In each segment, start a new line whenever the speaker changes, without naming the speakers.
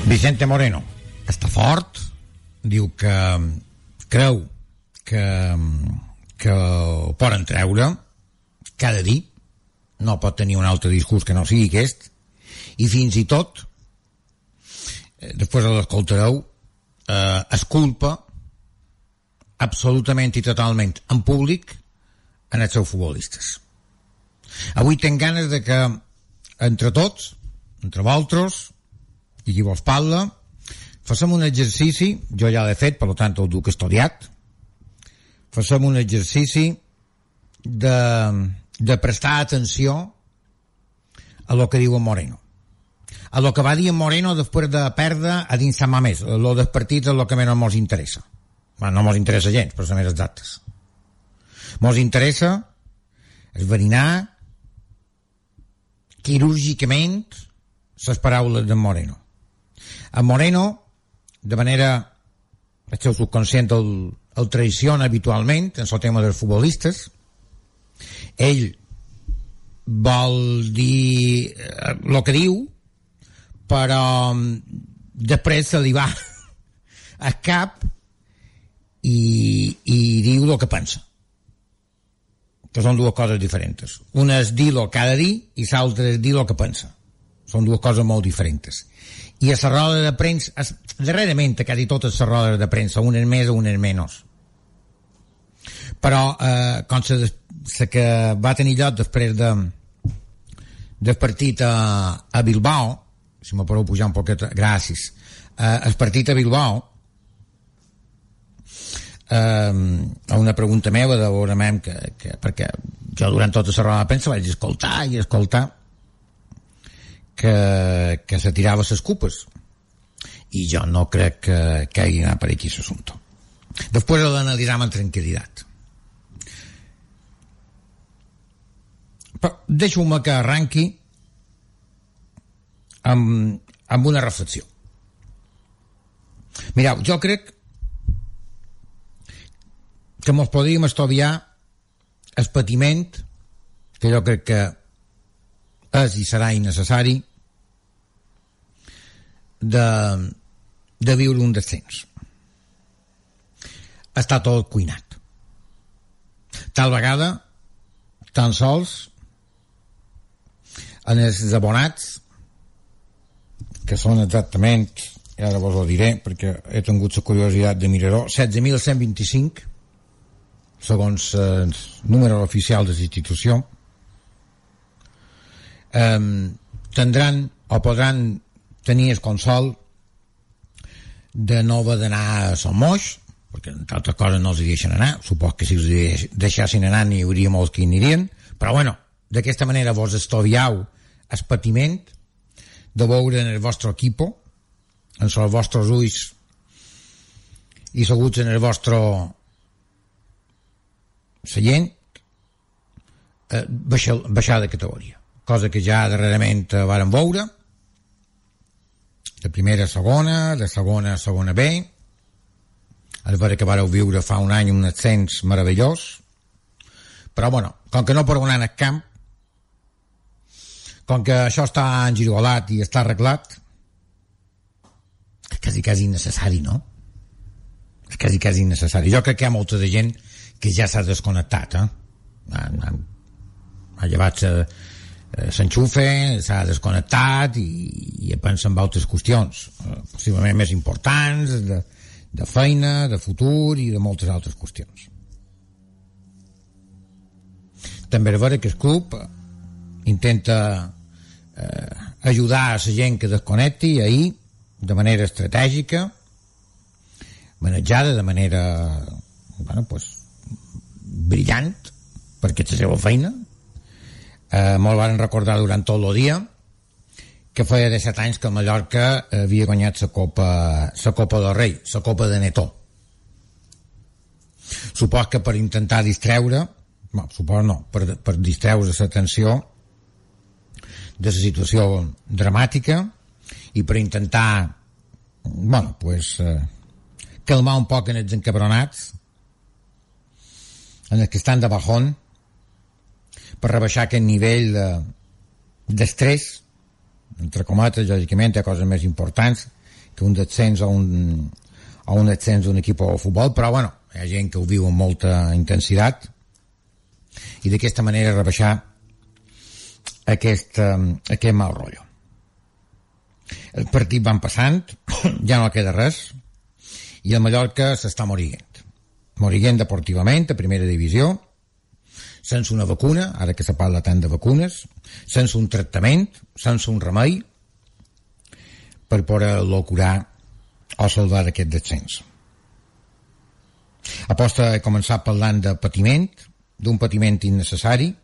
Vicente Moreno està fort, diu que creu que ho poden treure cada dia, no pot tenir un altre discurs que no sigui aquest, i fins i tot després de l'escoltareu es culpa absolutament i totalment en públic en els seus futbolistes. Avui tenc ganes de que entre tots, entre vosaltres i qui vos parla, facem un exercici, jo ja l'he fet, per tant el duc estudiat, facem un exercici de prestar atenció a lo que diu en Moreno, a lo que va dir en Moreno després de perdre a dins Sant Mamés. Lo del partit és el que menys mos interessa. Bueno, no mos interessa gens, per ser més exactes. Mos interessa esverinar quirúrgicament les paraules d'en Moreno. En Moreno, de manera, el seu subconscient el traiciona habitualment en el tema dels futbolistes. Ell vol dir el que diu, però després se li va al cap i diu el que pensa, que són dues coses diferents. Una és dir-lo cada dia i l'altra és dir el que pensa. Són dues coses molt diferents. I a la roda de premsa, darrerament quasi totes les rodes de premsa, unes més o unes menys, però com la que va tenir lloc després del partit a Bilbao, si me podeu pujar un poquet, gràcies, el partit a Bilbao, a una pregunta meva de veure perquè jo durant tota la roda de premsa vaig escoltar que se tirava les cupes, i jo no crec que hagi anat per aquí l'assumpte. Després l'analitzam amb tranquil·litat. Però deixeu-me que arranqui amb una reflexió. Mireu, jo crec que mos podríem estalviar el patiment, que jo crec que és i serà innecessari, de viure un descens. Està tot cuinat. Tal vegada, tan sols en els abonats, que són exactament, i ara vos ho diré perquè he tingut la curiositat de mirar-ho, 16.125 segons els números oficials de la institució, tindran o podran tenir el consol de no haver d'anar a Son Moix, perquè entre altres coses no els deixen anar. Supos que si els deixassin anar n'hi hauria molts que hi anirien, però bueno, d'aquesta manera vos estoviau el patiment de veure en el vostre equipo, en els vostres ulls i seguts en el vostre seient, baixar de categoria, cosa que ja darrerament vàrem veure, de primera a segona, de segona a segona B, el veure que vàreu viure fa un any un ascens meravellós, però bueno, com que no podeu anar al camp, com que això està engirolat i està arreglat, és quasi innecessari, no? És quasi innecessari. Jo crec que hi ha molta de gent que ja s'ha desconnectat, ha llevat s'enxufe, s'ha desconnectat i pensa en altres qüestions, possiblement més importants, de feina, de futur i de moltes altres qüestions. També és vera que el club intenta ajudar a la gent que desconnecti ahir de manera estratègica, manejada de manera brillant, perquè és la seva feina. Molt van recordar durant tot el dia que feia 17 anys que el Mallorca havia guanyat la Copa del Rei, la Copa de Netó. Supos que per intentar distreure, per distreure l'atenció de la situació dramàtica i per intentar calmar un poc en els encabronats, en els que estan de bajón, per rebaixar aquest nivell d'estrès entre cometes, lògicament hi ha coses més importants que un descens o un ascens d'un equip de futbol, però bueno, hi ha gent que ho viu amb molta intensitat i d'aquesta manera rebaixar aquest mal rotllo. El partit van passant, ja no queda res, i el Mallorca s'està morint deportivament a primera divisió, sense una vacuna, ara que se parla tant de vacunes, sense un tractament, sense un remei per poder-lo curar o salvar d'aquest descens. Aposta he començat parlant de patiment, d'un patiment innecessari,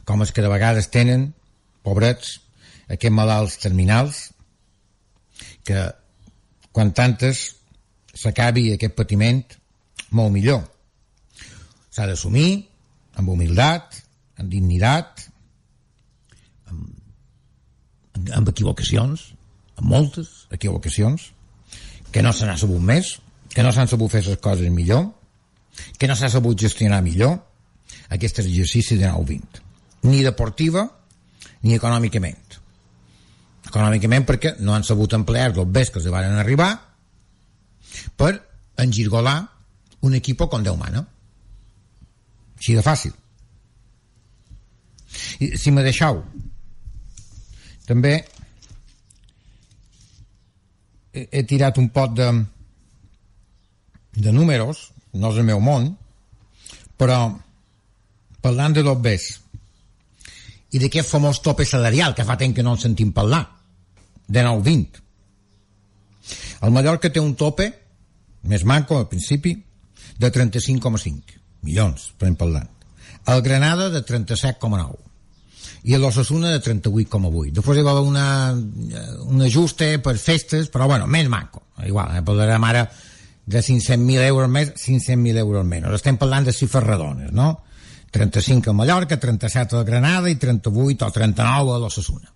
com els que de vegades tenen, pobrets, aquests malalts terminals, que quan tantes s'acabi aquest patiment, molt millor. S'ha d'assumir amb humilitat, amb dignitat, amb equivocacions, amb moltes equivocacions, que no se n'ha sabut més, que no s'han sabut fer les coses millor, que no s'ha sabut gestionar millor aquest exercici de 9-20, ni deportiva ni econòmicament. Econòmicament perquè no han sabut emplear els bés que els van arribar per engirgolar un equip com Déu mana. Així de fàcil. I, si me deixeu, també he tirat un pot de números, no és el meu món, però parlant de los bés i d'aquest famós tope salarial que fa temps que no en sentim parlar, de 9-20. El Mallorca té un tope més manco al principi de 35,5 milions, per parlant. El Granada de 37,9 i l'Osasuna de 38,8. Després hi va haver un ajuste per festes, però bueno, més manco. Igual, parlarem ara de 500.000 euros més, 500.000 euros menys. Estem parlant de xifres redones, no? 35 a Mallorca, 37 a Granada i 38 o 39 a l'Osasuna.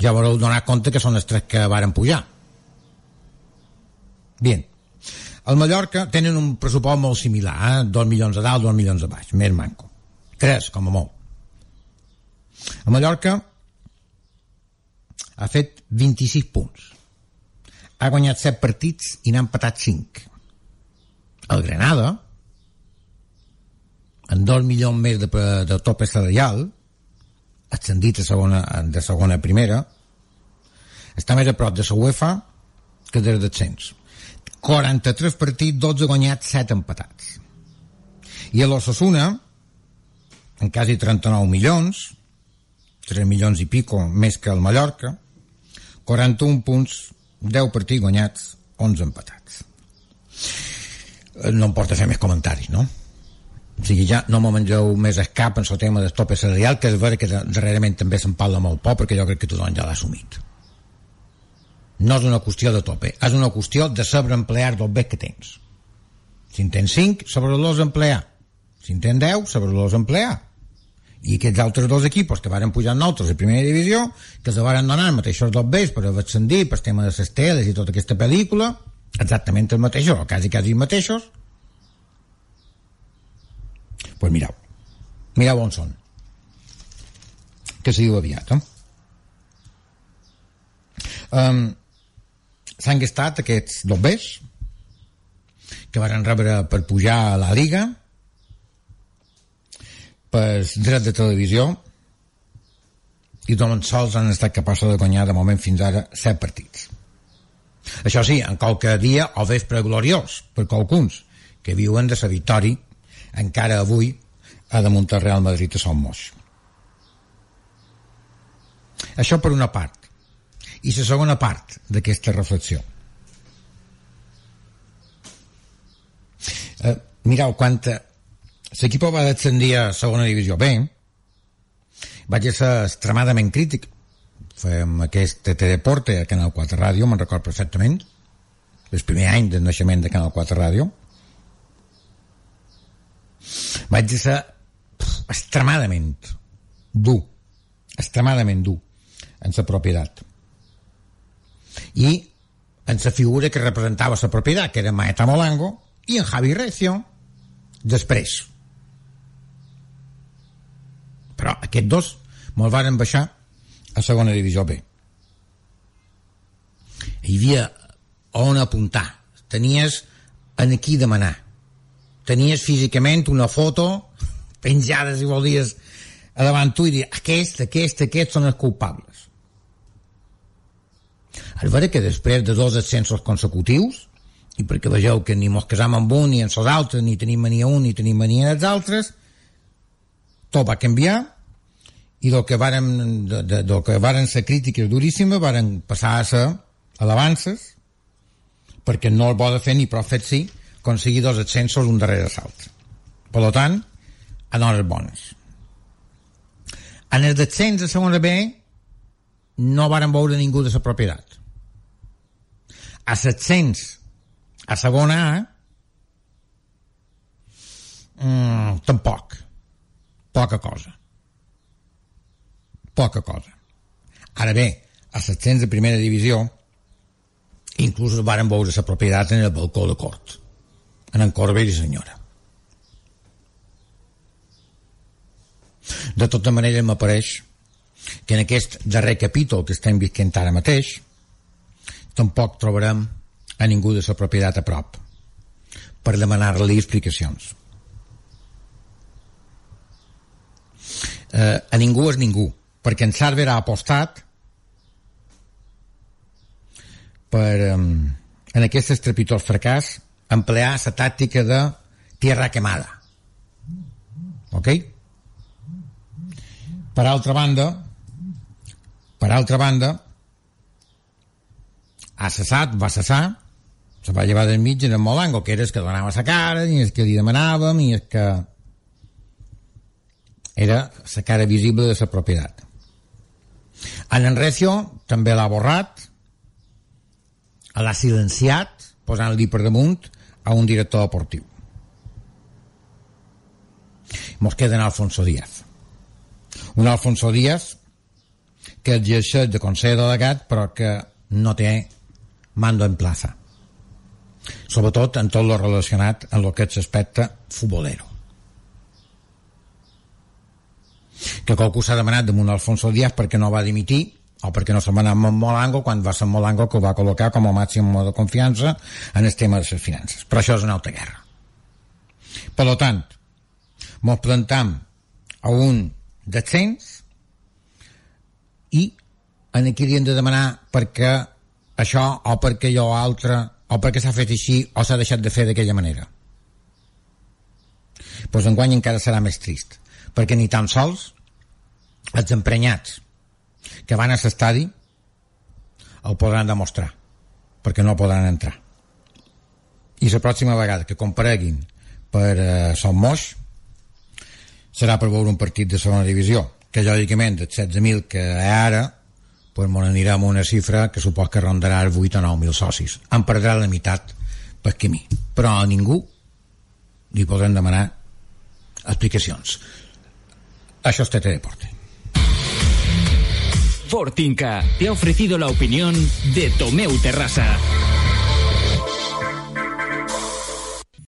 Ja haureu donat compte que són els tres que varen pujar. Bien. Al Mallorca tenen un pressupost molt similar, 2 milions a dalt, 2 milions a baix, més manco. 3, com a molt. A Mallorca ha fet 26 punts. Ha guanyat 7 partits i n'ha empatat 5. El Granada, amb 2 milions més de tope salarial, ascendit de segona a primera, està més a prop de la UEFA que des descens. 43 partits, 12 guanyats, 7 empatats. I a l'Osasuna, en quasi 39 milions, 3 milions i pico més que el Mallorca, 41 punts, 10 partits guanyats, 11 empatats. No em porta a fer més comentaris, no? O sigui, ja no me mengeu més el cap en el tema del tope salarial, que és vera que darrerament també se'n parla molt poc, perquè jo crec que tothom ja l'ha assumit. No és una qüestió de tope, és una qüestió de saber emplear dels bés que tens. Si en tens 5, saber-los emplear. Si en tens 10, saber-los emplear. I aquests altres dos equipos que varen pujar nosaltres a primera divisió, que se varen donar els mateixos dos bés per ascendir, per tema de les teles i tota aquesta pel·lícula, exactament els mateixos, o quasi els mateixos. Pues mireu on són, que se diu aviat, s'han gastat aquests dos bés que varen rebre per pujar a la Liga, per dret de televisió, i tan sols han estat capaços de guanyar de moment fins ara 7 partits. Això sí, en qualque dia o vespre gloriós per qualcuns que viuen de la victòria encara avui ha de muntar Real Madrid a Son Moix. Això per una part. I la segona part d'aquesta reflexió. Mireu, quan l'equip va descendir a segona divisió B, vaig ser extremadament crític. Fèiem aquest Teledeporte a Canal 4 Ràdio, me'n record perfectament, el primer any del naixement de Canal 4 Ràdio. Vaig ser extremadament dur en la propietat i en la figura que representava la propietat, que era Maeta Molango, i en Javi Recio després. Però aquests dos Me'l varen baixar a segona divisió B. Hi havia on apuntar, tenies en aquí demanar, tenies físicament una foto penjada, si volies, a davant tu i dir aquests són els culpables. És vera que després de 2 ascensos consecutius, i perquè vegeu que ni mos casam amb un ni amb els altres, ni tenim mania un ni tenim mania dels altres, tot va canviar, i del que varen ser crítiques duríssimes varen passar a ser alabances, perquè no el vol fer ni prou fet sí aconseguir 2 ascensos un darrere l'altre. Per tant, en hores bones. En el descens de segona B no varen veure ningú de la propietat. A l'ascens a segona A tampoc. Poca cosa. Ara bé, a l'ascens de primera divisió inclús varen veure la propietat en el balcó de cort, en en Corbell i senyora. De tota manera m'apareix que en aquest darrer capítol que estem visquent ara mateix tampoc trobarem a ningú de la propietat a prop per demanar-li explicacions. A ningú és ningú, perquè en Sarver ha apostat per en aquest estrepitós fracàs emplear la tàctica de tierra quemada. Ok? Per altra banda va cessar, se va llevar del mig en el Molango, que era el que donava la cara, i el que li demanàvem, i el que era la cara visible de la propietat. En Recio també l'ha borrat, l'ha silenciat, posant-li per damunt a un director deportiu. Mos queda en Alfonso Díaz. Un Alfonso Díaz que exerceix de consell delegat però que no té mando en plaza, sobretot en tot lo relacionat amb lo que és l'aspecte futbolero. Que qualcú s'ha demanat damunt Alfonso Díaz perquè no va dimitir o perquè no se'n va anar amb Molango quan va ser Molango que el va col·locar com a màxim de confiança en el tema de les finances. Però això és una altra guerra. Per tant, mos plantam a un descens i en aquí li hem de demanar perquè això o perquè allò altre o perquè s'ha fet així o s'ha deixat de fer d'aquella manera. Doncs enguany encara serà més trist, perquè ni tan sols els emprenyats que van a l'estadi el podran demostrar, perquè no podran entrar. I la pròxima vegada que compareguin per Son Moix serà per veure un partit de segona divisió, que lògicament dels 16.000 que hi ha ara pues m'ho anirem a una xifra que supos que rondarà els 8 o 9.000 socis. En perdrà la meitat per camí. Però a ningú li podrem demanar explicacions. Això es Tete Deporte.
Fortinca te ha ofrecido la opinión de Tomeu Terrassa.